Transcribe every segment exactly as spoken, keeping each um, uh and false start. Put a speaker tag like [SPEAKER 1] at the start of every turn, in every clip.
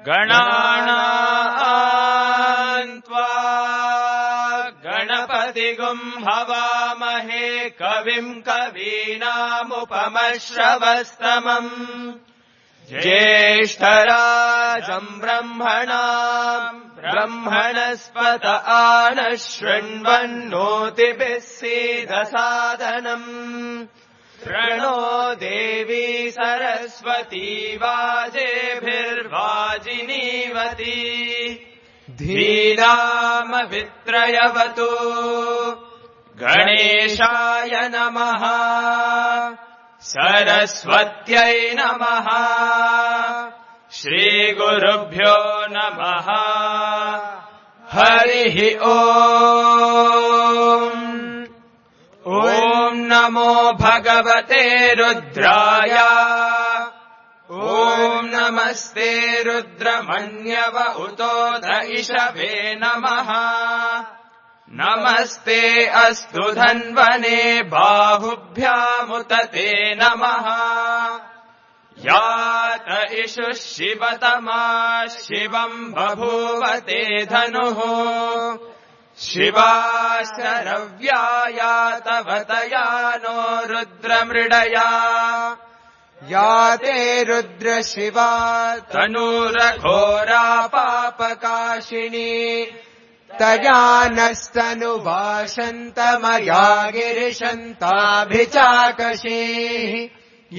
[SPEAKER 1] गणानाम् त्वा गणपतिगुम् हवामहे कविम् कवीनामुपमश्रवस्तमम् ज्येष्ठराजम् ब्रह्मणाम् ब्रह्मणस्पत आनः शृण्वन्नोतिभिः सीदसादनम् प्रणो देवी सरस्वती वाजेभिर्वाजिनीवती धीरामवित्रयवतु गणेशाय नमः सरस्वत्यै नमः श्रीगुरुभ्यो नमः हरिः ओम् ॐ नमो भगवते रुद्राय ॐ नमस्ते रुद्रमन्यव उतोऽध इषवे नमः नमस्ते अस्तु धन्वने बाहुभ्यामुत ते नमः यात इषुः शिवतमा शिवम् बभूवते धनुः शिवाशरव्याया तव तया नो रुद्रमृडया याते रुद्र शिवा तनूरघोरा पापकाशिनी तया नस्तनुवाशन्तमया गिरिशन्ताभिचाकशीः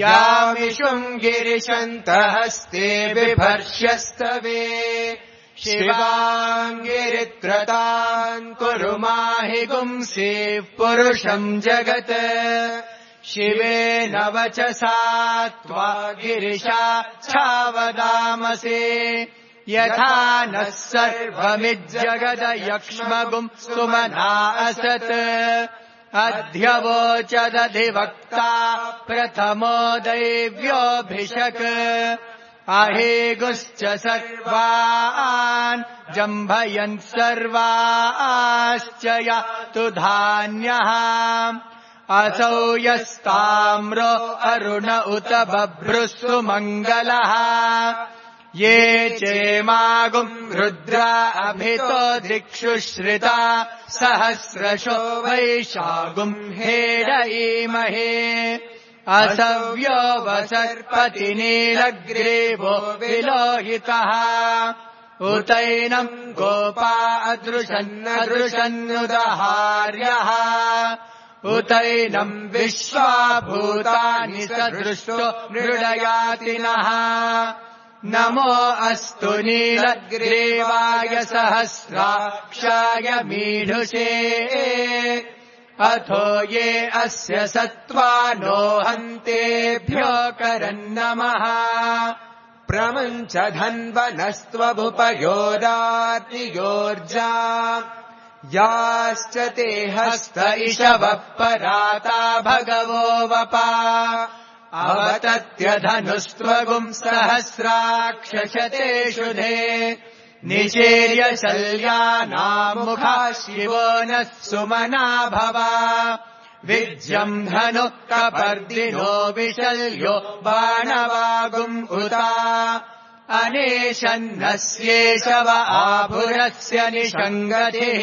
[SPEAKER 1] यामिषुम् गिरिशन्तहस्ते बिभर्ष्यस्तवे शिवाङ्गिरित्रतान् कुरु माहि गुंसीः पुरुषम् जगत् शिवेन वचसा त्वा गिरिशा छावदामसे यथा नः सर्वमिज्जगदयक्ष्मगुम् सुमना असत् अध्यवोचदधिवक्ता प्रथमो दैव्योऽभिषक् अहेगुश्च सर्वान् जम्भयन् सर्वाश्च यातु धान्यः असौ यस्ताम्रो अरुण उत बभ्रुः मङ्गलः ये चेमागुम् रुद्रा अभितो दिक्षुश्रिता सहस्रशो वैशागुम् हेडयीमहे असव्यो वसर्पति नीलग्रीवो विलोहितः उतैनम् गोपा अदृशन्नदृशन्नुदहार्यः उतैनम् विश्वाभूतानि सदृष्टो मृडयातिनः नमो अस्तु नीलग्रीवाय सहस्राक्षाय मीढुषे अथो ये अस्य सत्त्वानो हन्तेभ्यो करन्नमः प्रमुञ्च धन्वनस्त्वभुपयोरातियोर्जा याश्च ते हस्त इषवः पराता भगवो वपा अवतत्यधनुस्त्वगुम् सहस्राक्षशते शुधे निचेर्य शल्यानामुखा शिवो नः सुमना भवा विज्यम् धनुः कपर्दिनो विशल्यो बाणवागुम् उता अनेशन्नस्येषव आभुरस्य निषङ्गतिः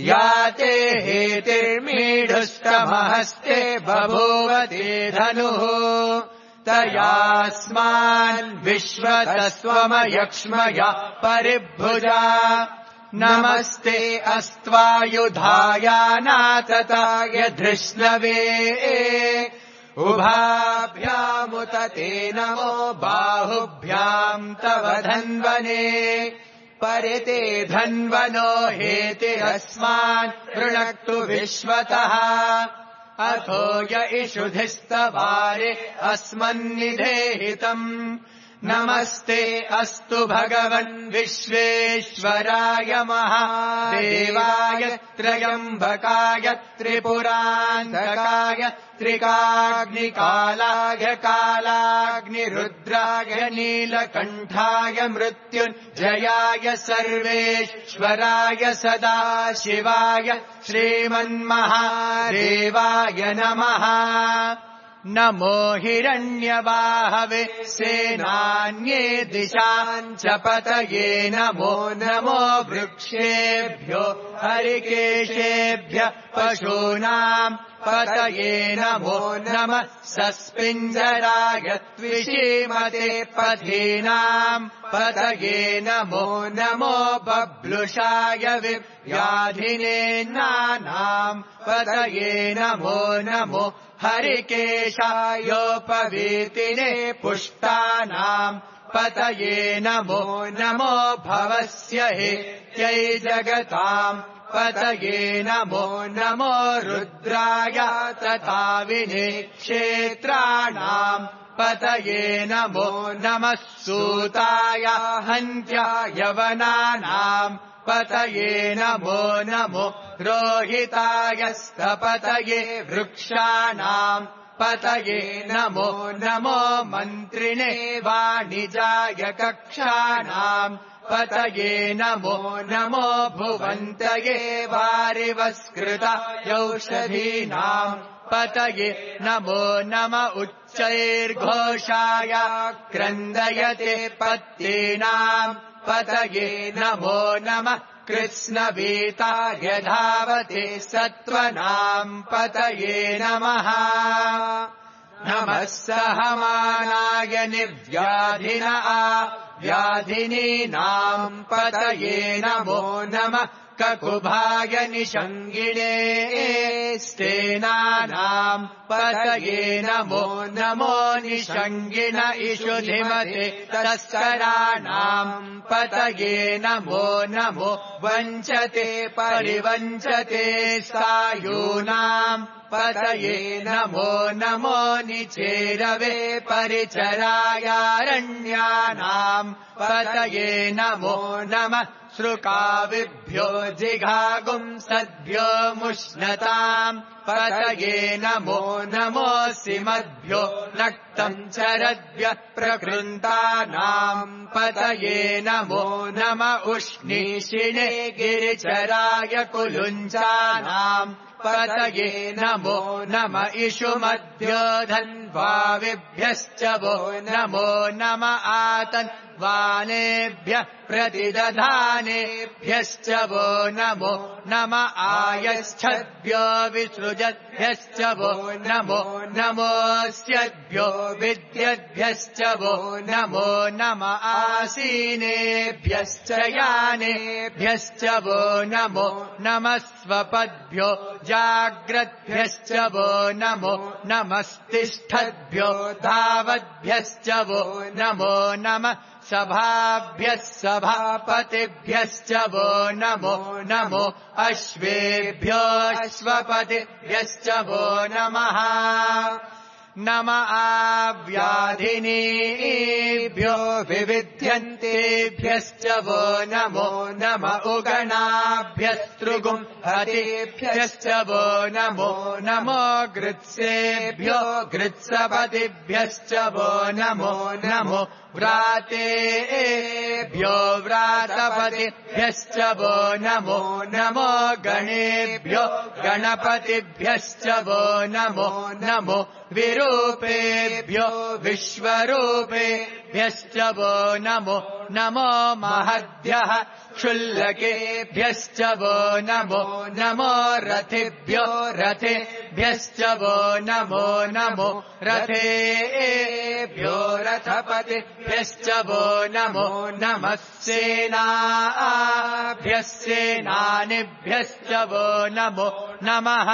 [SPEAKER 1] याते हेतिर्मीढुस्तमहस्ते बभूवते धनुः तयास्मान् विश्वतस्त्वमयक्ष्मया परिभुजा नमस्ते अस्त्वायुधायानातताय धृष्णवे उभाभ्यामुत ते नमो बाहुभ्याम् तव धन्वने परिते धन्वनो हेतिरस्मान् वृणक्तु विश्वतः अथो य इषुधिस्तवारे अस्मन्निधेहितम् नमस्ते अस्तु भगवन् विश्वेश्वराय महादेवाय त्र्यम्बकाय त्रिपुरान्तकाय त्रिकाग्निकालाय कालाग्निरुद्राय नीलकण्ठाय मृत्युञ्जयाय सर्वेश्वराय सदाशिवाय श्रीमन्महादेवाय नमः नमो हिरण्यबाहवे सेनान्ये दिशाञ्च पतये नमो नमो वृक्षेभ्यो हरिकेशेभ्यः पशूनाम् पतये नमो नमः सस्पिञ्जराय त्विषीमते पथीनाम् पतये नमो नमो बब्लुषाय व्याधिनेन्नानाम् पतये नमो नमो हरिकेशायोपवीतिने पुष्टानाम् पतये नमो नमो भवस्य हेत्यै जगताम् पतये नमो नमो रुद्राय तथा विने क्षेत्राणाम् पतये नमो नमः सूताय हन्त्याय वनानाम् पतये नमो नमो रोहिताय स्तपतये वृक्षाणाम् पतये नमो नमो मन्त्रिणे वाणिजाय कक्षाणाम् पतये नमो नमो भुवन्तये वारिवस्कृतायौषधीनाम् पतये नमो नम उच्चैर्घोषाय क्रन्दयते पत्तीनाम् पतये नमो नमः कृत्स्नवीताय धावते सत्त्वनाम् पतये नमः नमः सहमानाय निर्व्याधिना व्याधिनीनाम् पतये नमो नमः ककुभाय निषङ्गिणे स्तेनानाम् पतये नमो नमो निषङ्गिण इषुधिमते तस्कराणाम् पतये नमो नमो वञ्चते परिवञ्चते सायूनाम् पतये नमो नमो निचेरवे परिचरायारण्यानाम् पतये नमो नमः श्रुकाविभ्यो जिघागुंसद्भ्यो मुष्णताम् पतये नमो नमोऽसिमद्भ्यो नक्तम् चरद्भ्यः प्रकृन्तानाम् पतये नमो नम उष्णीषिणे गिरिचराय कुलुञ्चानाम् पतये नमो नम इषुमद्भ्यो धन्वाविभ्यश्च वो नमो नम आतन् वानेभ्यः प्रतिदधानेभ्यश्च वो नमो नम आयच्छद्भ्यो विसृजद्भ्यश्च वो नमो नमोऽस्यद्भ्यो विद्यद्भ्यश्च वो नमो नम आसीनेभ्यश्च यानेभ्यश्च वो नमो नमः स्वपद्भ्यो जाग्रद्भ्यश्च वो नमो नमस्तिष्ठद्भ्यो धावद्भ्यश्च वो नमो नमः सभाभ्यः सभापतिभ्यश्च वो नमो नमो अश्वेभ्यो अश्वपतिभ्यश्च वो नमः नम आव्याधिनीभ्यो विविध्यन्तेभ्यश्च वो नमो नम उगणाभ्यस्तृगुम् हतेभ्यश्च वो नमो नमो गृत्सेभ्यो गृत्सपतिभ्यश्च वो नमो नमो व्रातेभ्यो व्रातपतिभ्यश्च वो नमो नमो गणेभ्यो गणपतिभ्यश्च वो नमो नमो विरूपेभ्यो विश्वरूपेभ्यश्च वो नमो नमो महद्भ्यः क्षुल्लकेभ्यश्च वो नमो नमो रथेभ्यो रथेभ्यश्च वो नमो नमो रथेभ्यो रथपतिभ्यश्च वो नमो नमः सेनाभ्यः सेनानिभ्यश्च वो नमो नमः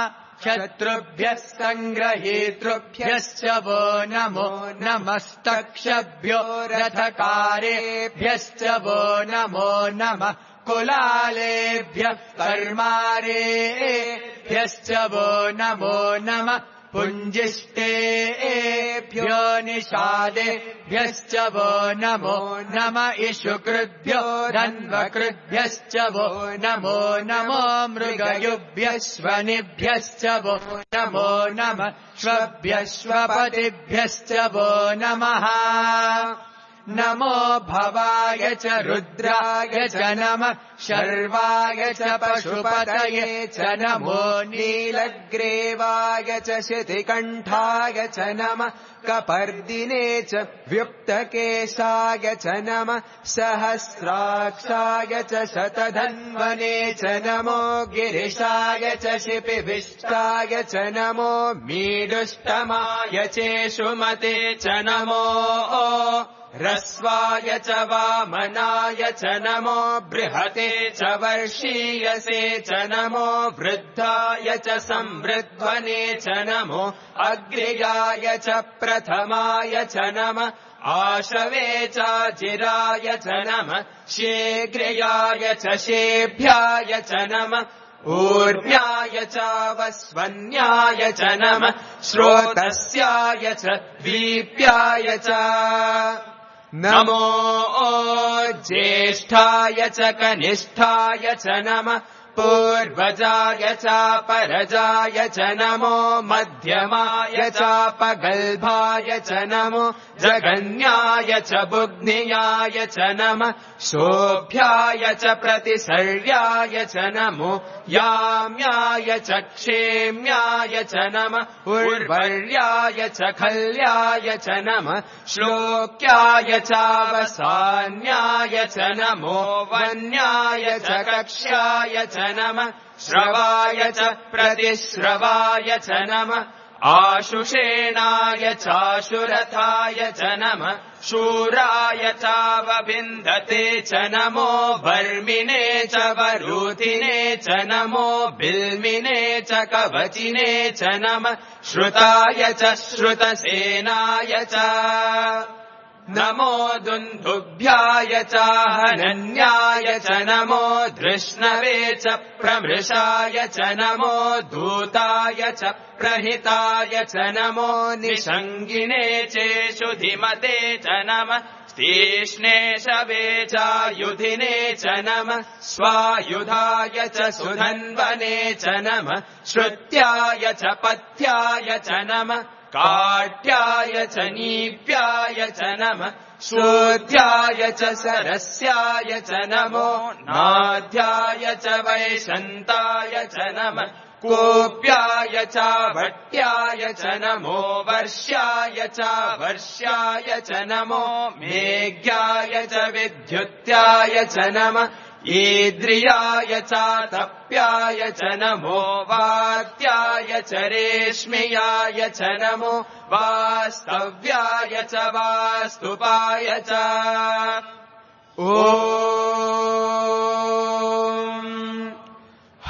[SPEAKER 1] शत्रुभ्यः सङ्ग्रहीतृभ्यश्च वो नमो नमस्तक्षभ्यो रथकारेभ्यश्च वो नमो नमः कुलालेभ्यः कर्मारेभ्यश्च वो नमो नमः पुञ्जिष्टेभ्यो निषादेभ्यश्च वो नमो नम इषुकृद्भ्यो धन्वकृद्भ्यश्च वो नमो नमो मृगयुभ्यश्वनिभ्यश्च वो नमो नमः श्वभ्यश्वपतिभ्यश्च वो नमः नमो भवाय च रुद्राय च नमः शर्वाय च पशुपतये च नमो नीलग्रीवाय च शितिकण्ठाय च नमः कपर्दिने च व्युक्तकेशाय च नमः सहस्राक्षाय च शतधन्वने च नमो गिरिशाय च शिपिभिष्टाय च नमो मीडुष्टमाय चेषुमते च नमो रस्वाय च वामनाय च नमो बृहते च वर्षीयसे च नमो वृद्धाय च संवृध्वने च नमो अग्र्याय च प्रथमाय च नमः आशवे चाजिराय च नमः शीघ्रयाय च शेभ्याय च नमः ऊर्ण्याय चावस्वन्याय च नमः श्रोतस्याय च दीप्याय च नमो ज्येष्ठाय च कनिष्ठाय च नमः पूर्वजाय चापरजाय च नमो मध्यमाय चापगल्भाय च नमो जगन्याय च बुग्नियाय च नमः शोभ्याय च प्रतिसर्याय च नमो याम्याय च क्षेम्याय च नमः उर्वर्याय च खल्याय च नमः श्लोक्याय चावसान्याय च नमो वन्याय च कक्ष्याय च नमः श्रवाय च प्रतिश्रवाय च नमः आशुषेणाय चाशुरथाय च नमः शूराय चावबिन्दते च नमो वर्मिने च वरूथिने च नमो बिल्मिने च कवचिने च नमः श्रुताय च श्रुतसेनाय च नमो दुन्दुभ्याय चाहनन्याय च नमो धृष्णवे च प्रमृषाय च नमो दूताय च प्रहिताय च नमो निषङ्गिने चेषुधिमते च नमः तीक्ष्णे शवे चायुधिने च नमः स्वायुधाय च सुधन्वने च नमः श्रुत्याय च पथ्याय च नमः काट्याय च नीप्याय च नमः शोध्याय च सरस्याय च नमो नाध्याय च वैशन्ताय च नमः कोप्याय च भट्याय च नमो वर्ष्याय च वर्ष्याय च नमो मेघ्याय च विद्युत्याय च नमः ईद्रियाय चातप्याय च नमो वात्याय च रेश्म्याय च नमो वास्तव्याय च वास्तुपाय च ॐ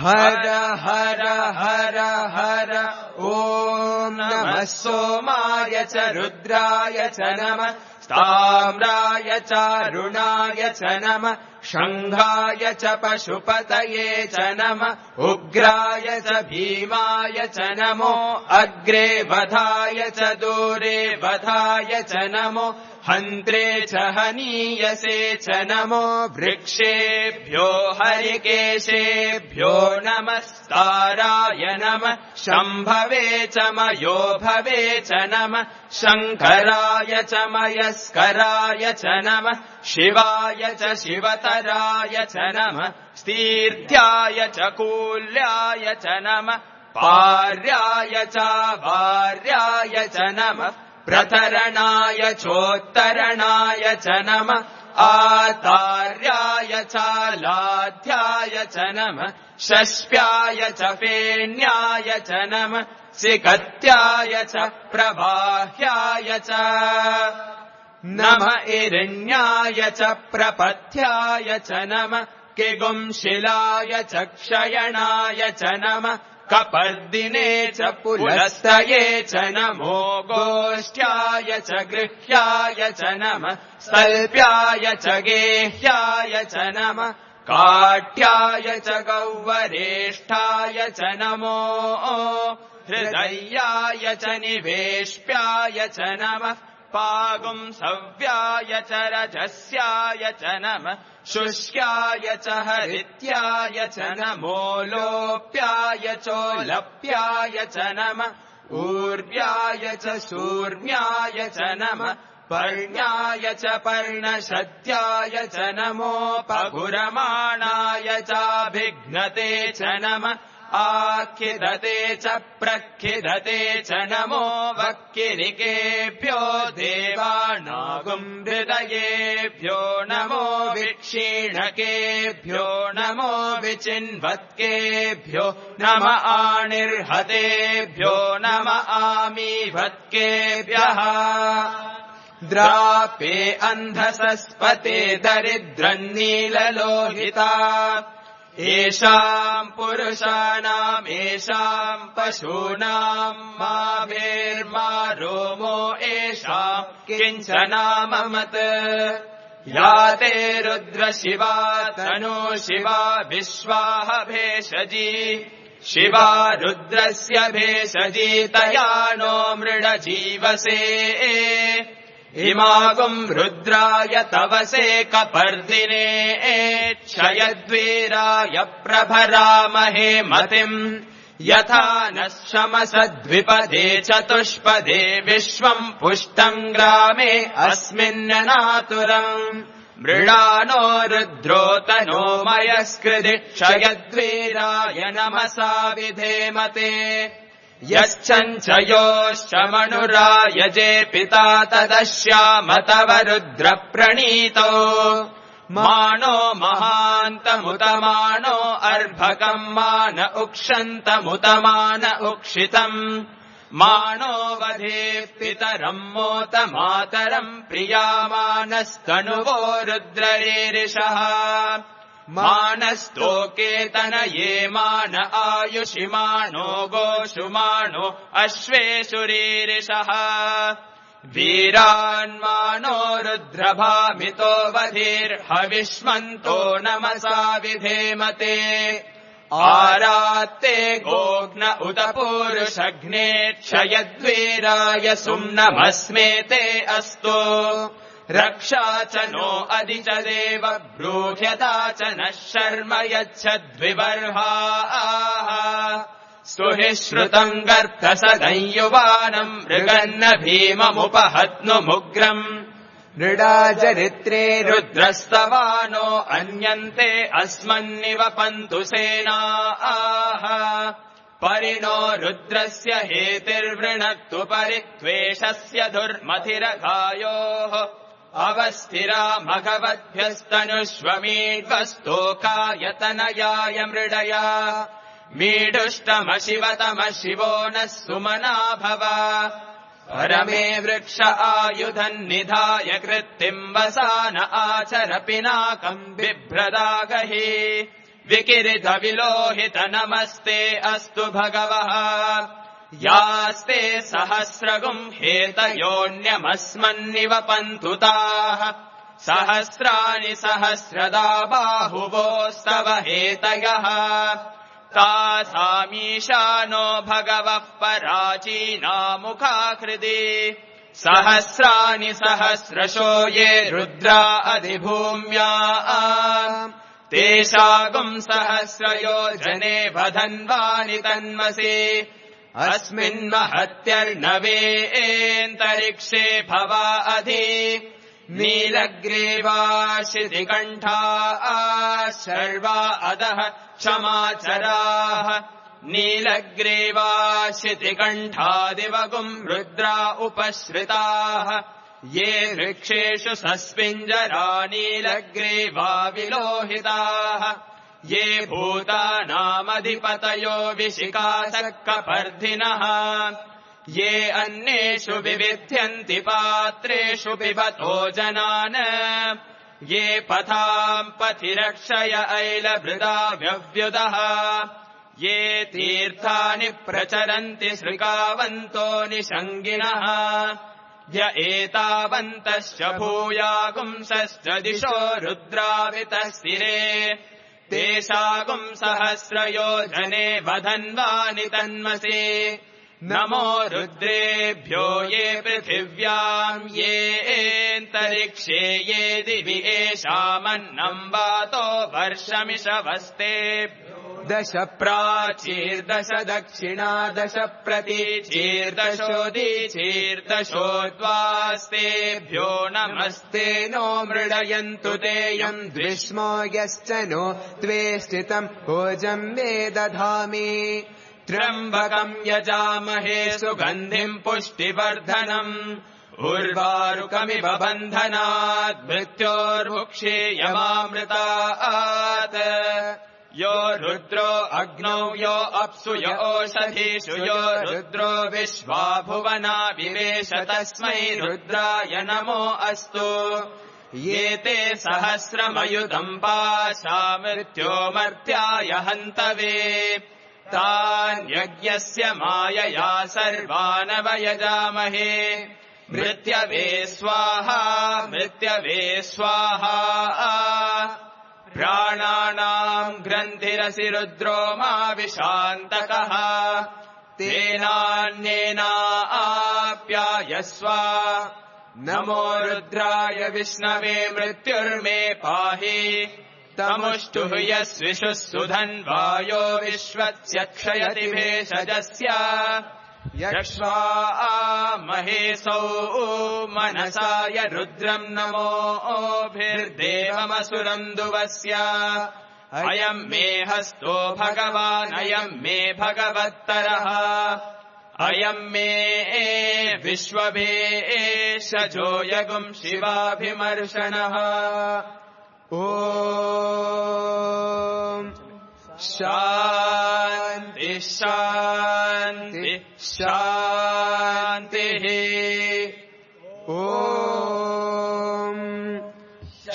[SPEAKER 1] हर हर हर हर ॐ नमः सोमाय च रुद्राय च नमः ताम्राय चारुणाय च नमः शङ्घाय च पशुपतये च नमः उग्राय च भीमाय च नमो अग्रे वधाय च दूरे वधाय च नमो हन्त्रे च हनीयसे च नमो वृक्षेभ्यो हरिकेशेभ्यो नमस्ताराय नमः शम्भवे च मयोभवे च नमः शङ्कराय च मयस्कराय च नमः शिवाय च शिवतराय च नमः स्तीर्थ्याय च कूल्याय च नमः पार्याय च वार्याय च नमः प्रतरणाय चोत्तरणाय च नमः आतार्याय च लाध्याय च नमः शस्प्याय च फेन्याय च नमः सिकत्याय च प्रवाह्याय च नमः इरण्याय च प्रपथ्याय च नमः किगुंशिलाय च क्षयणाय च नमः कपर्दिने च पुलस्तये च नमो गोष्ठ्याय च गृह्याय च नमः सल्प्याय च गेह्याय च नमः काट्याय च गौवरेष्ठाय च नमो हृदयाय च निवेश्प्याय च नमः पागुंसव्याय च रजस्याय च नमः शुष्याय च हरित्याय च नमो लोप्याय चोलप्याय च नमः ऊर्व्याय च शूर्म्याय च नमः पर्ण्याय च पर्णशत्याय च नमोपगुरमाणाय चाभिघ्नते च नम आखिदते च प्रखिदते च नमो वक्किरिकेभ्यो देवानागुम् हृदयेभ्यो नमो विक्षीणकेभ्यो नमो विचिन्वत्केभ्यो नम आणिर्हतेभ्यो नम आमीभत्केभ्यः द्रापे अन्धसस्पते दरिद्रन्नीललोहिता येषाम् पुरुषाणाम् येषाम् पशूनाम् मा भेर्मा रोमो येषाम् किञ्चनाममत् या ते रुद्रशिवा तनु शिवा विश्वाह भेषजी शिवा रुद्रस्य भेषजी तया नो मृडजीवसे इमागुम् रुद्राय तवसे कपर्दिने क्षयद्वीराय प्रभरामहे मतिम् यथा नः शमसद्विपदे चतुष्पदे विश्वम् पुष्टम् ग्रामे अस्मिन्ननातुरम् मृडानो रुद्रोतनो मयस्कृधि क्षयद्वीराय नमसा विधेमते यश्चञ्चयोश्च मनुरायजे पिता तदश्याम तव रुद्रप्रणीतो मानो महान्तमुतमानो अर्भकम् मान उक्षन्तमुतमान उक्षितम् मानो वधेः पितरम् मोत मातरम् प्रियामानस्तनुवो रुद्ररीरिषः मानस्तोकेतनये मान आयुषिमानो गोषुमानो अश्वेषुरीरिषः वीरान्मानो रुद्रभामितो वधीर्हविष्मन्तो नमसा विधेमते आरात्ते गोघ्न उत पूरुषघ्ने क्षयद्वीराय सुम्नमस्मेते अस्तु रक्षा च नो अधि च देव ब्रूह्यता च नः शर्म यच्छद्विबर्हाः स्तुहि श्रुतम् गर्तसदंयुवानम् मृगन्न भीममुपहत्नुमुग्रम् नृडाचरित्रे रुद्रस्तवानो अन्यन्ते अस्मन्निवपन्तु सेनाः परिणो रुद्रस्य हेतिर्वृणक्तु परित्वेषस्य दुर्मथिरघायोः अवस्थिरा भगवद्भ्यस्तनुष्वमीड्वस्तोकायतनयाय मृडया मीडुष्टमशिवतम शिवो नः सुमना भव परमे वृक्ष आयुधम् निधाय कृत्तिम् वसान आचर पिनाकम् बिभ्रदागहि विकिरित विलोहित नमस्ते अस्तु भगवः यास्ते सहस्रगुम् हेतयोऽन्यमस्मन्निवपन्तु ताः सहस्राणि सहस्रदा बाहुवोस्तव हेतयः तासामीशानो भगवः पराचीनामुखाकृति सहस्राणि सहस्रशो ये रुद्रा अधिभूम्या तेषागुम् सहस्रयोजने वधन्वानि तन्मसि अस्मिन्महत्यर्णवेऽन्तरिक्षे भवा अधि नीलग्रीवाशितिकण्ठा शर्वा अधः क्षमाचराः नीलग्रीवाशितिकण्ठादिवगुम् रुद्रा उपश्रिताः ये वृक्षेषु सस्पिञ्जरा नीलग्रीवा विलोहिताः ये भूतानामधिपतयो विशिखासक्कपर्धिनः ये अन्येषु विविध्यन्ति पात्रेषु पिबतो जनान् ये पथाम् पथिरक्षय ऐलभृदा व्यव्युदः ये तीर्थानि प्रचरन्ति सृकावन्तो निषङ्गिणः य एतावन्तश्च भूयागुंसश्च दिशो रुद्रावितस्थिरे तेषागुम् सहस्रयोजने वधन्वानि तन्मसि नमो रुद्रेभ्यो ये पृथिव्याम् येऽन्तरिक्षे ये दिवि येषामन्नम् वातो वर्षमिषवस्तेभ्यो दश प्राचीर्दश दक्षिणा दश प्रतीचीर्दशोदीचीर्दशोद्वास्तेभ्यो नमस्ते नो मृडयन्तु तेयम् द्विष्मो यश्च नो त्वेष्टितम् भोजम् मे दधामि त्र्यम्बकम् यजामहे सुगन्धिम् पुष्टिवर्धनम् उर्वारुकमिव बन्धनात् मृत्योर्मुक्षीयमामृतात् यो रुद्रो अग्नौ यो अप्सु यो ओषधीषु यो रुद्रो विश्वा भुवना विवेश तस्मै रुद्राय नमो अस्तु ये ते सहस्रमयुतम् पाशा मृत्योमर्त्याय हन्तवे तान् यज्ञस्य मायया सर्वानवयजामहे मृत्यवे स्वाहा मृत्यवे स्वाहा प्राणानाम् ग्रन्थिरसि रुद्रो मा विशान्तकः तेनान्येनाप्यायस्व नमो रुद्राय विष्णवे मृत्युर्मे पाहि तमुष्टुः यस्विषुः सुधन्वायो विश्वस्य क्षयति भेषजस्य यक्ष्वा महेशौ मनसाय रुद्रम् नमोभिर्देवमसुरम् दुवस्य अयम् मे हस्तो भगवान् अयम् मे भगवत्तरः अयम् मे विश्वभेषजो यगुम् शिवाभिमर्शनः ॐ शान्ति शान्ति शान्तिः ॐ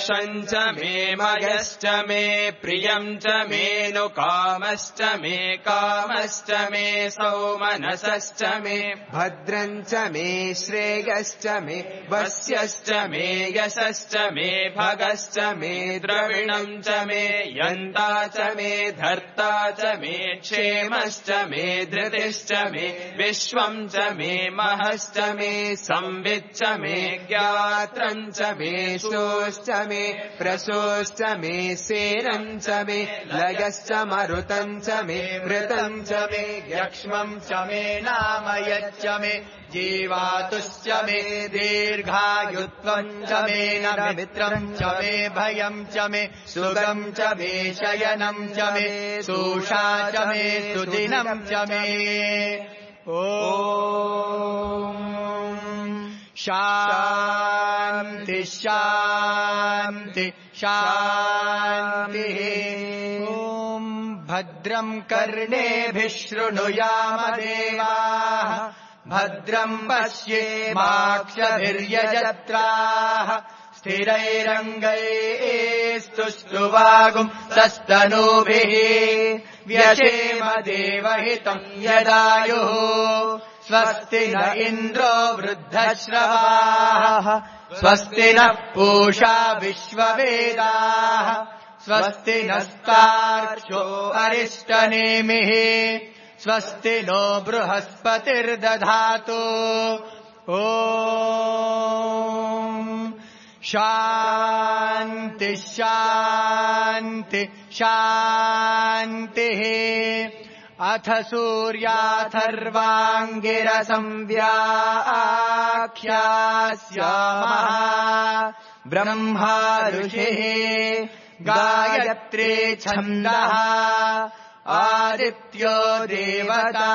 [SPEAKER 1] शञ्च मे मयश्च मे प्रियम् च मेनु कामश्च मे कामश्च मे सौमनसश्च मे भद्रम् च मे श्रेयश्च मे वस्यश्च मे यशश्च मे भगश्च मे द्रविणम् च मे यन्ता च मे धर्ता च मे क्षेमश्च मे धृतिश्च मे विश्वम् च मे महश्च मे संविच्च मे ज्ञात्रम् च मे शोश्च मे प्रशोश्च मे सेनम् च मे लयश्च मरुतम् च मे मृतम् च मे यक्ष्मम् च मे नामयच्च मे जीवातुश्च मे दीर्घायुत्वम् च मे नमित्रम् च मे भयम् च मे सुगम् च मे शयनम् च मे सूषा च मे सुदिनम् च मे ॐ शान्ति शान्ति शान्तिः ॐ भद्रम् कर्णेभिः शृणुयाम देवाः भद्रम् पश्येमाक्षभिर्यजत्राः स्थिरैरङ्गैस्तुष्टुवागुम् सस्तनूभिः व्यशेम देवहितम् यदायुः स्वस्ति न इन्द्रो वृद्धश्रवाः स्वस्ति नः पूषा विश्ववेदाः स्वस्ति नस्तार्क्ष्यो अरिष्टनेमिः स्वस्ति नो बृहस्पतिर्दधातु ॐ शान्ति शान्ति शान्तिः अथ सूर्याथर्वाङ्गिरसंव्याख्यास्यामः ब्रह्मा ऋषिः गायत्री छन्दः आदित्यो देवता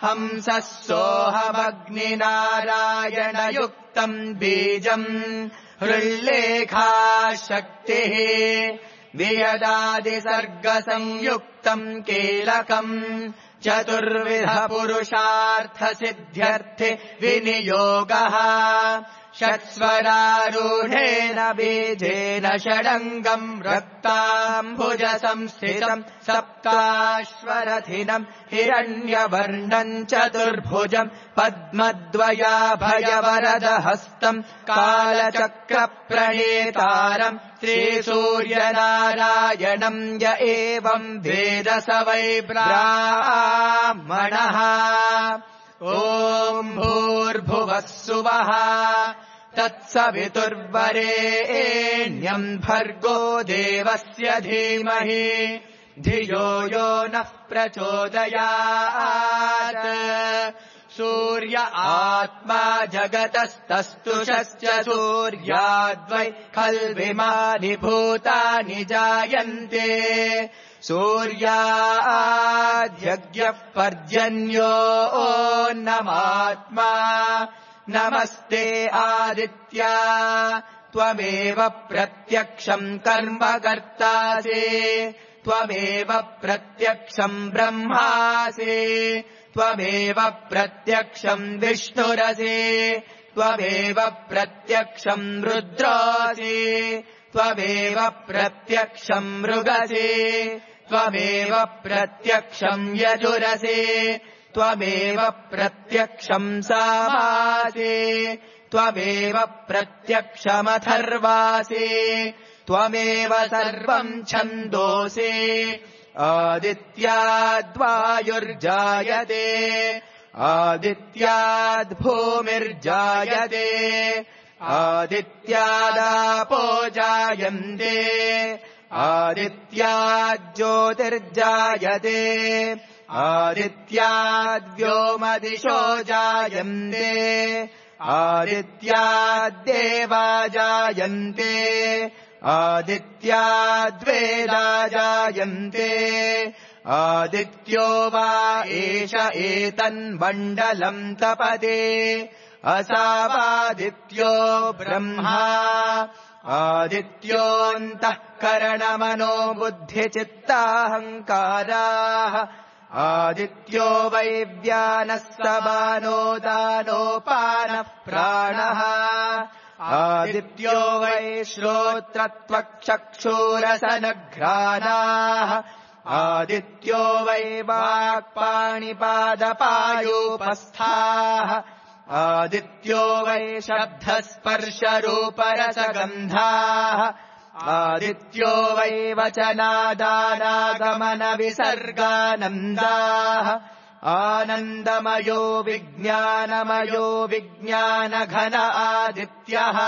[SPEAKER 1] हंसः सोऽहमग्निनारायणयुक्तम् बीजम् हृल्लेखा शक्तिः वियदादिसर्गसंयुक्तम् कीलकम् चतुर्विध पुरुषार्थसिद्ध्यर्थे विनियोगः षट्स्वरारूढेन बीजेन षडङ्गम् रक्ताम्बुजसंस्थितम् सप्ताश्वरथिनम् हिरण्यवर्णम् चतुर्भुजम् पद्मद्वयाभयवरदहस्तम् कालचक्रप्रणेतारम् श्रीसूर्यनारायणम् य एवम् वेद स वै ब्राह्मणः ॐ भूर्भुवः सुवः तत्सवितुर्वरेण्यम् भर्गो देवस्य धीमहि धियो यो नः प्रचोदयात् सूर्य आत्मा जगतस्तस्तुषश्च सूर्याद्वै खल्विमानि भूतानि जायन्ते सूर्याद्यज्ञः पर्जन्यो ओन्नमात्मा नमस्ते आदित्या त्वमेव प्रत्यक्षम् कर्म कर्तासि त्वमेव प्रत्यक्षम् ब्रह्मासि त्वमेव प्रत्यक्षम् विष्णुरसि त्वमेव प्रत्यक्षम् रुद्रोऽसि त्वमेव प्रत्यक्षम् मृगसि त्वमेव प्रत्यक्षम् यजुरसि त्वमेव प्रत्यक्षम् सामासि त्वमेव प्रत्यक्षमथर्वासि त्वमेव सर्वम् छन्दोसि आदित्याद्वायुर्जायते आदित्याद्भूमिर्जायते आदित्यादापो जायन्ते आदित्याज्योतिर्जायते आदित्याद्व्योमदिशो जायन्ते आदित्याद्देवा जायन्ते आदित्याद्वेदा जायन्ते आदित्यो वा एष एतन्मण्डलम् तपते असावादित्यो ब्रह्मा आदित्योऽन्तःकरणमनो बुद्धिचित्ताहङ्काराः आदित्यो वै व्यानः समानो दानोपानः प्राणः आदित्यो वै श्रोत्रत्वक्चक्षुरसनघ्राणाः आदित्यो वै वाक्पाणिपादपायूपस्थाः आदित्यो वै शब्दस्पर्शरूपरसगन्धाः आदित्यो वै वचनादानागमनविसर्गानन्दाः आनन्दमयो विज्ञानमयो विज्ञानघन आदित्यः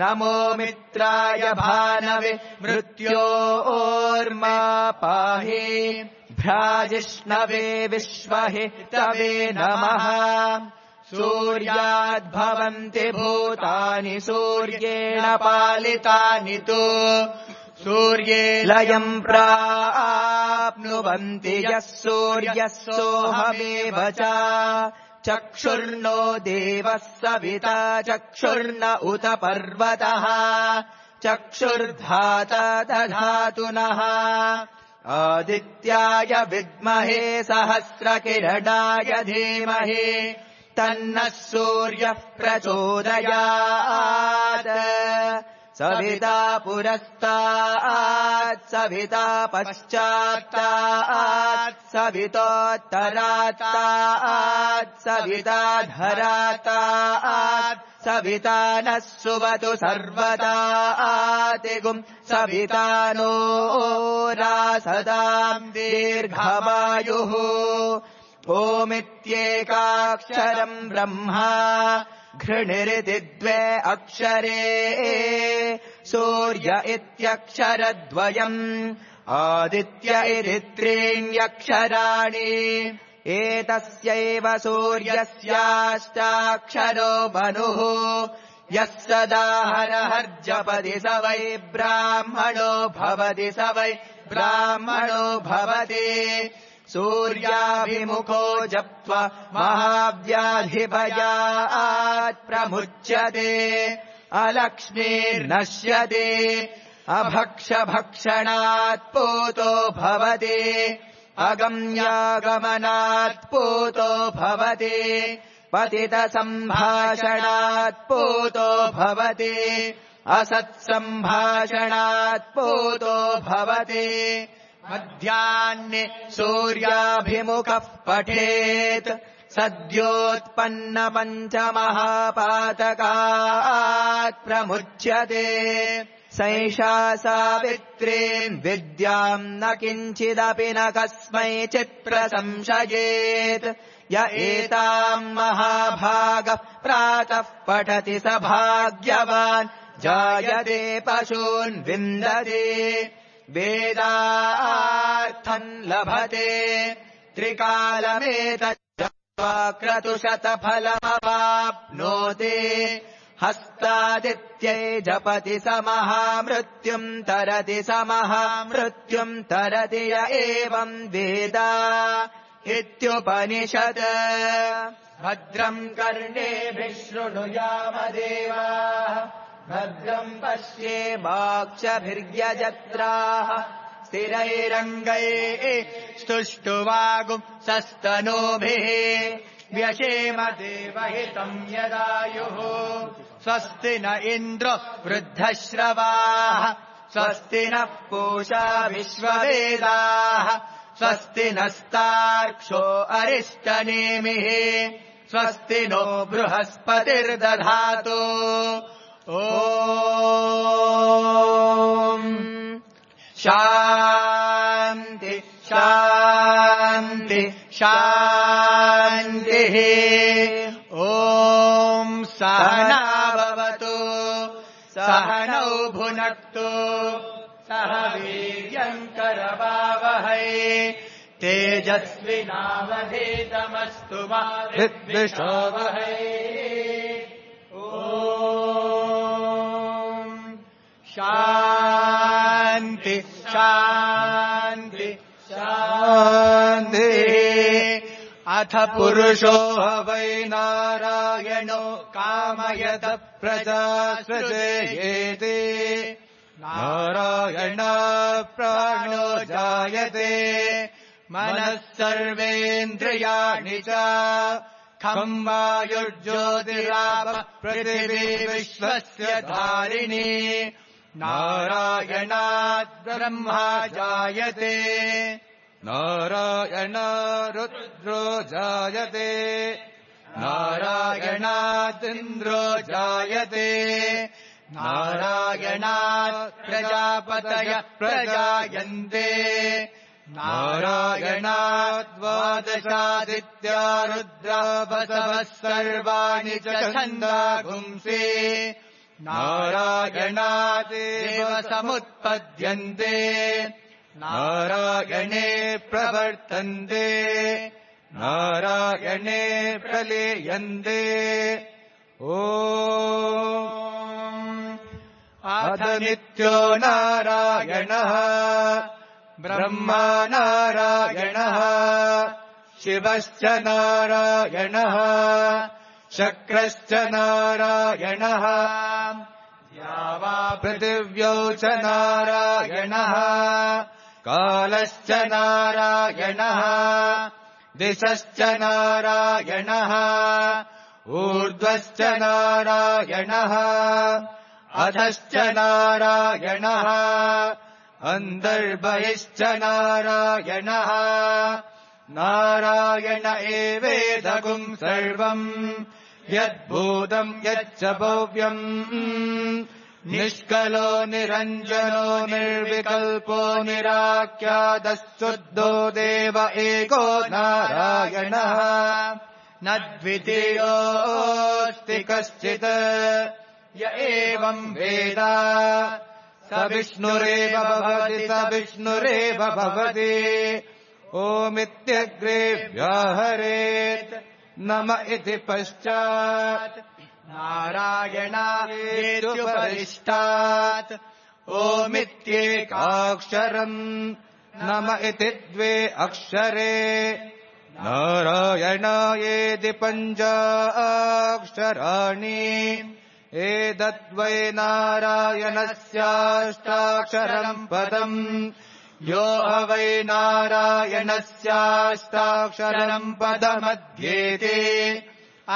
[SPEAKER 1] नमो मित्राय भानवे मृत्योर्मा पाहि भ्राजिष्णवे विश्वहितवे नमः सूर्याद्भवन्ति भूतानि सूर्येण पालितानि तु सूर्ये लयम् प्राप्नुवन्ति यः सूर्यः सोऽहमेव च चक्षुर्नो देवः सविता चक्षुर्न उत पर्वतः चक्षुर्धाता दधातु नः आदित्याय विद्महे सहस्रकिरणाय धीमहि तन्नः सूर्यः प्रचोदयात् सविता पुरस्तात् सविता पश्चात्तात् सवितोत्तरात्तात् सविता धरात्तात् सविता नः सुवतु सर्वदातिगुम् सविता नो रासदाम् दीर्घमायुः ओमित्येकाक्षरम् ब्रह्मा घृणिरिति द्वे अक्षरे सूर्य इत्यक्षरद्वयम् आदित्य इति त्रीण्यक्षराणि एतस्यैव सूर्यस्याष्टाक्षरो मनुः यः सदा हरहर्जपति स वै ब्राह्मणो भवति स वै ब्राह्मणो भवति सूर्याभिमुखो जप्त्वा महाव्याधिभयात् प्रमुच्यते अलक्ष्मीर्नश्यते अभक्षभक्षणात् पूतो भवति अगम्यागमनात् पूतो भवति पतितसम्भाषणात् पूतो भवति असत्सम्भाषणात् पूतो भवति मध्याह्ने सूर्याभिमुखः पठेत् सद्योत्पन्नपञ्चमहापातकात् प्रमुच्यते सैषा सावित्रीम् विद्याम् न किञ्चिदपि न कस्मैचित् प्रशंसयेत् य एताम् महाभागः प्रातः पठति स भाग्यवान् जायते पशून् विन्दति वेदार्थम् लभते त्रिकालमेतच्चक्रतुशतफलमवाप्नोति हस्तादित्यै जपति समः मृत्युम् तरति समः मृत्युम् तरति य एवम् वेद इत्युपनिषत् भद्रम् कर्णेभिः शृणुयामदेवाः भद्रम् पश्येमाक्षभिर्यजत्राः स्थिरैरङ्गैः स्तुष्टुवागुंसस्तनूभिः व्यशेम देवहितम् यदायुः स्वस्ति न इन्द्रो वृद्धश्रवाः स्वस्ति नः पूषा विश्ववेदाः स्वस्ति नस्तार्क्ष्यो अरिष्टनेमिः स्वस्ति नो बृहस्पतिर्दधातु ॐ शान्ति शान्ति शान्तिः ॐ सहना भवतु सहनौ भुनक्तु सह वीर्यम् करवावहै तेजस्विनावधीतमस्तु मा विद्विषावहै ॐ शान्ति शान्ति शान्तिः अथ पुरुषो वै नारायणो कामयत प्रजा सृजेति नारायण प्राणो जायते मनः सर्वेन्द्रियाणि च खम् वायुर्ज्योतिरापः पृथिवी विश्वस्य धारिणी नारायणात् ब्रह्मा जायते नारायण रुद्रो जायते नारायणादिन्द्रो जायते नारायणात् प्रजापतयः प्रजायन्ते नारायणात् द्वादशादित्या रुद्रा वसवः सर्वाणि च छन्दागुंसि नारायणादेव समुत्पद्यन्ते नारायणे प्रवर्तन्ते नारायणे प्रलीयन्ते ॐ अथ नित्यो नारायणः ब्रह्मा नारायणः शिवश्च नारायणः शक्रश्च नारायणः या वा पृथिव्यौ च नारायणः कालश्च नारायणः दिशश्च नारायणः ऊर्ध्वश्च नारायणः अधश्च नारायणः अन्तर्बहिश्च नारायणः नारायण एवेदगुम् सर्वम् यद्भूतम् यच्च भव्यम् निष्कलो निरञ्जनो निर्विकल्पो निराख्यातः देव एको नारायणः न द्वितीयोऽस्ति कश्चित् य एवम् वेद स विष्णुरेव भवति स विष्णुरेव भवति ओमित्यग्रे व्याहरेत् नम इति पश्चात् नारायणादेत्युपरिष्टात् ओमित्येकाक्षरम् नम इति द्वे अक्षरे नारायणायेति पञ्चाक्षराणि एतद्वै नारायणस्याष्टाक्षरम् पदम् यो वै नारायणस्याष्टाक्षरम् पदमध्येति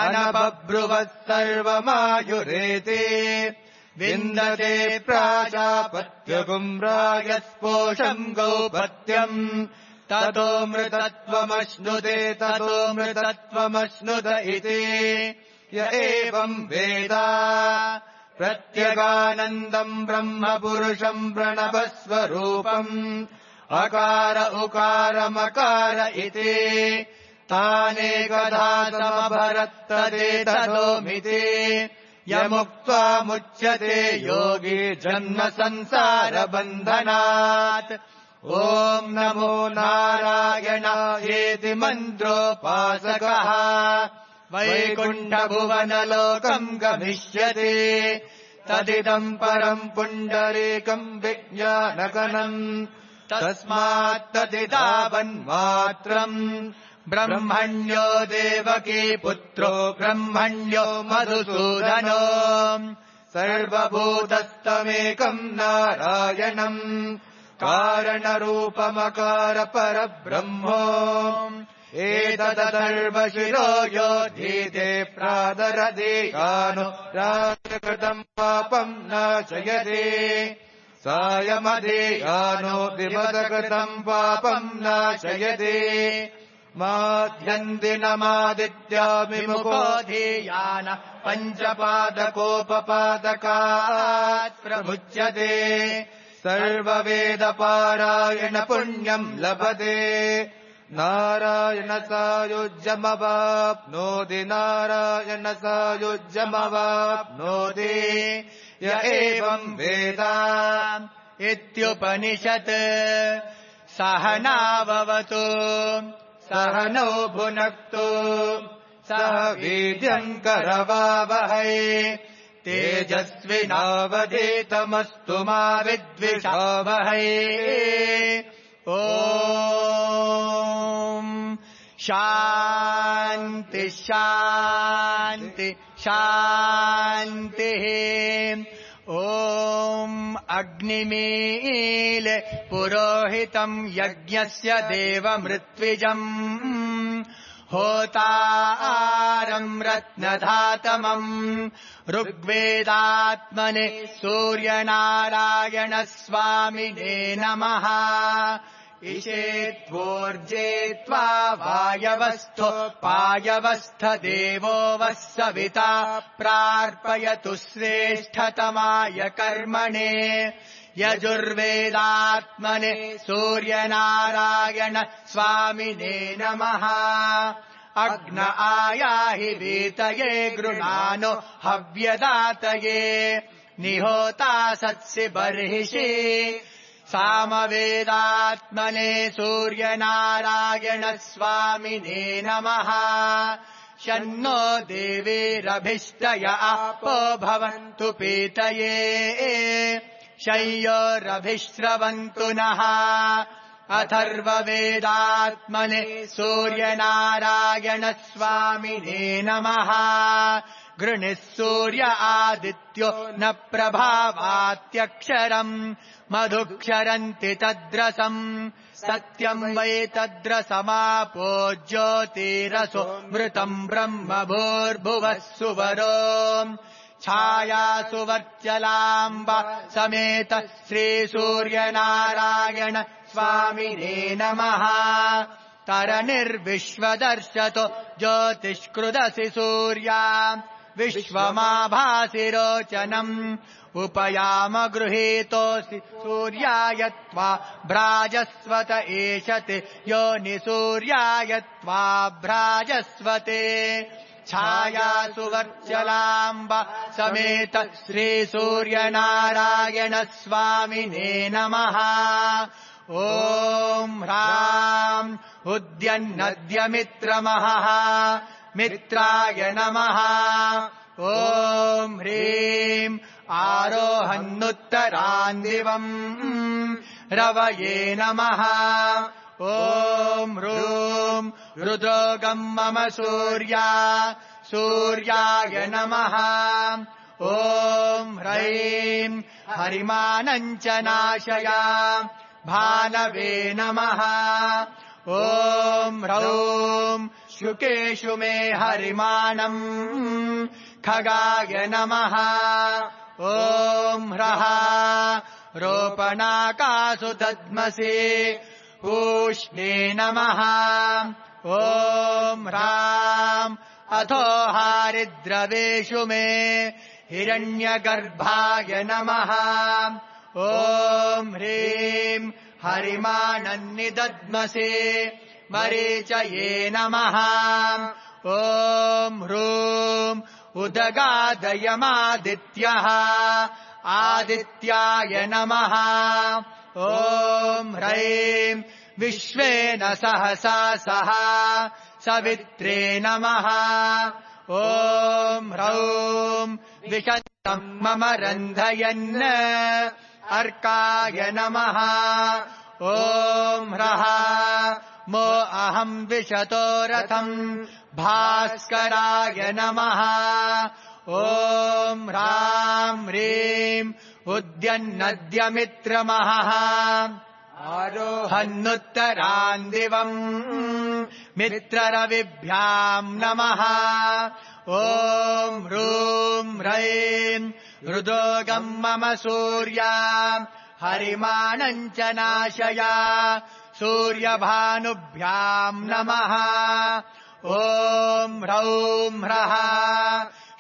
[SPEAKER 1] अनबभ्रुवः सर्वमायुरेति विन्दते प्राजापत्यगुम् रायस्पोषम् गौपत्यम् ततो मृतत्वमश्नुते ततो मृतत्वमश्नुत इति य एवम् वेद प्रत्यगानन्दम् ब्रह्म पुरुषम् प्रणवस्वरूपम् अकार उकारमकार इति तानेकधा समभरत्तदेततोमिति
[SPEAKER 2] यमुक्त्वा मुच्यते योगी जन्म संसार बन्धनात्। ॐ नमो नारायणायेति मन्त्रोपासकः वैकुण्ठभुवनलोकम् गमिष्यति। तदिदम् परम् पुण्डरीकम् विज्ञानगणम् तस्मात् तदिदावन्मात्रम्। ब्रह्मण्यो देवकी पुत्रो ब्रह्मण्यो मधुसूदनो सर्वभूतस्तमेकम् नारायणम् कारणरूपमकार परब्रह्मो एतदथर्वशिरो योधीते प्रादरदीयानो राजकृतम् पापम् नाशयति सायमदीयानो दिवसकृतम् पापम् नाशयति माध्यन्दिनमादित्यामिमुखोऽधीयान पञ्चपादकोपपादकात् प्रमुच्यते सर्ववेदपारायण पुण्यम् लभते नारायण सायुज्यमवाप्नोति नारायण सायुज्यमवाप्नोति य एवम् वेद इत्युपनिषत्। सहनाववतु सहनौ भुनक्तु सह वीर्यम् करवावहै तेजस्विनावधीतमस्तु मा विद्विषावहै। ॐ शान्ति शान्ति शान्तिः। ॐ अग्निमील पुरोहितम् यज्ञस्य देवमृत्विजम् होतारम् रत्नधातमम् ऋग्वेदात्मने सूर्यनारायण स्वामिने नमः। इषेत्वोर्जेत्वा वायवस्थो पायवस्थ देवो वः सविता प्रार्पयतु श्रेष्ठतमाय कर्मणे। यजुर्वेदात्मने सूर्यनारायण स्वामिने नमः। अग्न आयाहि वीतये गृणानो हव्यदातये निहोता सत्सि बर्हिषि। सामवेदात्मने सूर्यनारायण स्वामिने नमः। शन्नो देवीरभिष्टय आपो भवन्तु पीतये शय्योरभिश्रवन्तु नः। अथर्ववेदात्मने सूर्यनारायण स्वामिने नमः। गृणिः सूर्य आदित्यो न प्रभावात्यक्षरम् मधुक्षरन्ति तद्रसम् सत्यम् वै तद्रसमापो ज्योतिरसो मृतम् ब्रह्म भूर्भुवः सुवरो। छायासुवर्चलाम्ब समेत श्रीसूर्यनारायण स्वामिने नमः। तरनिर्विश्वदर्शतो ज्योतिष्कृदसि सूर्या विश्वमाभासिरोचनम् उपयाम गृहीतोऽसि सूर्याय त्वा भ्राजस्वत एषते योनिसूर्याय त्वा भ्राजस्वते। छायासुवर्चलाम्ब समेत श्रीसूर्यनारायण स्वामिने नमः। ॐ ह्राम् उद्यन्नद्यमित्रमहः मित्राय नमः। ॐ ह्रीम् आरोहन्नुत्तरान्दिवम् रवये नमः। ॐ ह्रूम् रुद्रोगम् मम सूर्या सूर्याय नमः। ॐ ह्रैम् हरिमानम् च नाशया भानवे नमः। ॐ ह्रौम् शुकेषु मे हरिमानम् खगाय नमः। ॐ ह्रः रोपणाकासु दद्मसि पूष्णे नमः। ॐ ह्राम् अथो हारिद्रवेषु मे हिरण्यगर्भाय नमः। ॐ ह्रीम् हरिमानन्निदद्मसि मरीचये नमः। ॐ ह्रूम् उदगादयमादित्यः आदित्याय नमः ॐ ह्रैं विश्वेन सहसा सह सवित्रे नमः ॐ ह्रौं विशन्तं मम रन्धयन् अर्काय नमः ॐ ह्रः मो अहं विशतो रथम् भास्कराय नमः ॐ ह्रां ह्रीं उद्यन्नद्यमित्रमहः आरोहन्नुत्तरान् दिवम् मित्ररविभ्याम् नमः ॐ ह्रूं ह्रैं रुदोगम् मम सूर्या हरिमानम् च नाशय सूर्यभानुभ्याम् नमः ॐ ह्रौं ह्रः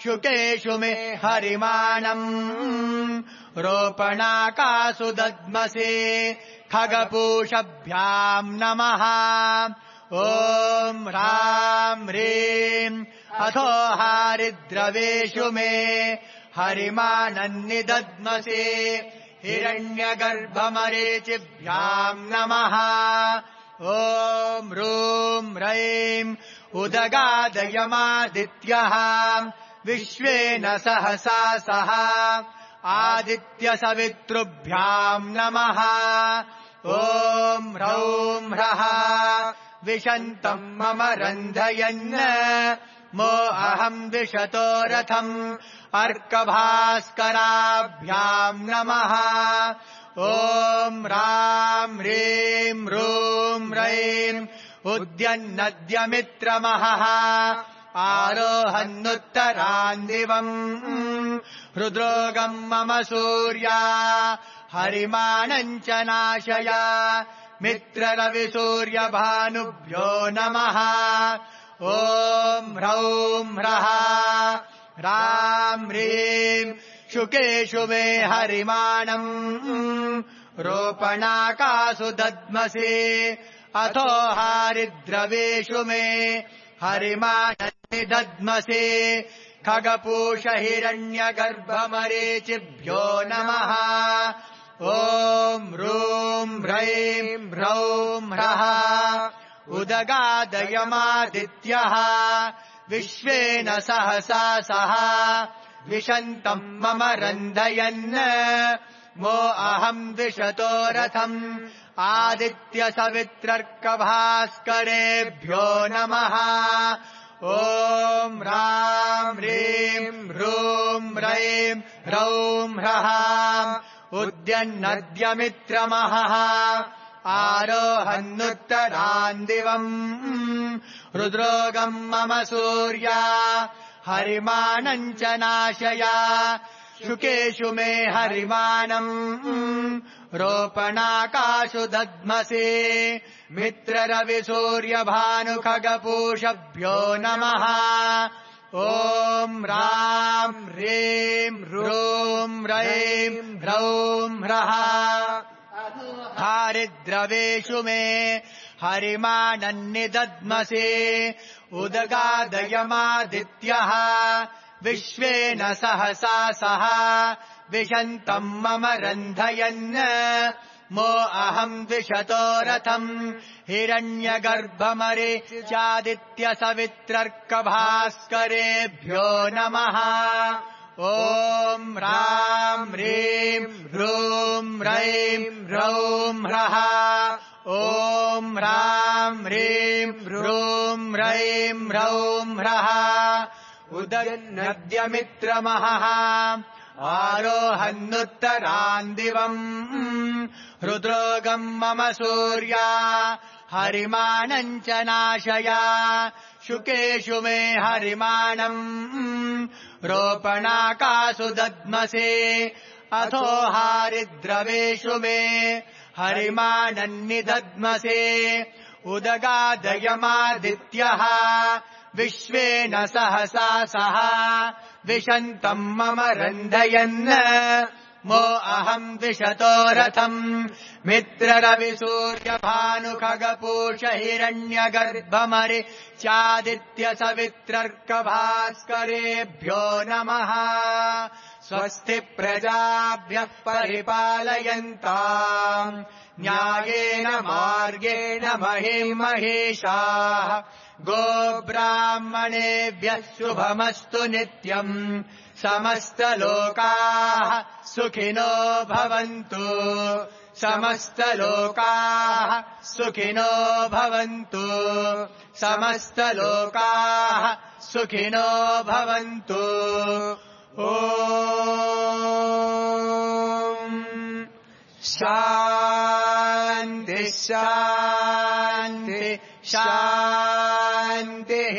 [SPEAKER 2] शुकेषु मे हरिमाणम् रोपणाकासु दद्मसे खगपूषभ्याम् नमः ॐ ह्रां ह्रीं अथो हारिद्रवेषु मे हरिमानन्निदद्मसे हिरण्यगर्भमरीचिभ्याम् नमः ॐ ह्रूं ह्रैं उदगादयमादित्यः विश्वेन सहसा सह आदित्यसवितृभ्याम् नमः ॐ ह्रौं ह्रः विशन्तं मम रन्धयन् मो अहं विशतो रथम् अर्कभास्कराभ्याम् नमः ॐ ह्रां ह्रीं ह्रूं ह्रैं उद्यन्नद्यमित्रमहः आरोहन्नुत्तरान् दिवम् हृद्रोगम् मम सूर्या हरिमानम् च नाशय मित्ररविसूर्यभानुभ्यो नमः ॐ ह्रौं ह्रः ह्रां ह्रीं शुकेषु मे हरिमाणम् रोपणाकासु दद्मसे अथो हारिद्रवेषु मे हरिमानन्निदद्मसे खगपूषहिरण्यगर्भमरीचिभ्यो नमः ॐ ह्रूं ह्रैं ह्रौं ह्रः उदगादयमादित्यः विश्वेन सहसा सह विशन्तं मम रन्धयन् मो अहं विशतो रथम् आदित्यसवित्रर्कभास्करेभ्यो नमः ॐ ह्रां ह्रीं ह्रूं ह्रैं ह्रौं ह्रः उद्यन्नद्यमित्रमहः आरोहन्नुत्तरान् दिवम् हृद्रोगम् मम सूर्या हरिमानम् च नाशय शुकेषु मे हरिमानम् रोपणाकासु दद्मसे मित्ररविसूर्यभानुखगपूषभ्यो नमः ॐ ह्रां ह्रीं ह्रूं ह्रैं ह्रौं ह्रः हारिद्रवेषु मे हरिमानन्निदद्मसे उदगादयमादित्यः विश्वेन सहसा सह विशन्तं मम रन्धयन् मो अहम् विशतो रथम् हिरण्यगर्भमरीच्यादित्यसवित्रर्कभास्करेभ्यो नमः ॐ ह्रां ह्रीं ह्रूं ह्रैं ह्रौं ह्रः ॐ ह्रां ह्रीं ह्रूं ह्रैं ह्रौं ह्रः उदयन्नद्यमित्रमहः आरोहन्नुत्तरान् दिवम् हृद्रोगम् मम सूर्या हरिमानम् च नाशय शुकेषु मे हरिमाणम् रोपणाकासु दद्मसे अथो हारिद्रवेषु मे हरिमानन्निदद्मसे उदगादयमादित्यः विश्वेन सहसा सह विशन्तम् मम रन्धयन् मो अहम् द्विषतो रथम् मित्ररविसूर्यभानुखगपूष हिरण्यगर्भमरि चादित्य सवित्रर्कभास्करेभ्यो नमः स्वस्ति प्रजाभ्यः परिपालयन्ताम् न्यायेन मार्गेण महीं महिषाः गोब्राह्मणेभ्यः शुभमस्तु नित्यम् समस्तलोकाः सुखिनो भवन्तु समस्तलोकाः सुखिनो भवन्तु समस्तलोकाः सुखिनो भवन्तु ॐ शान्ति शान्ति शान्तिः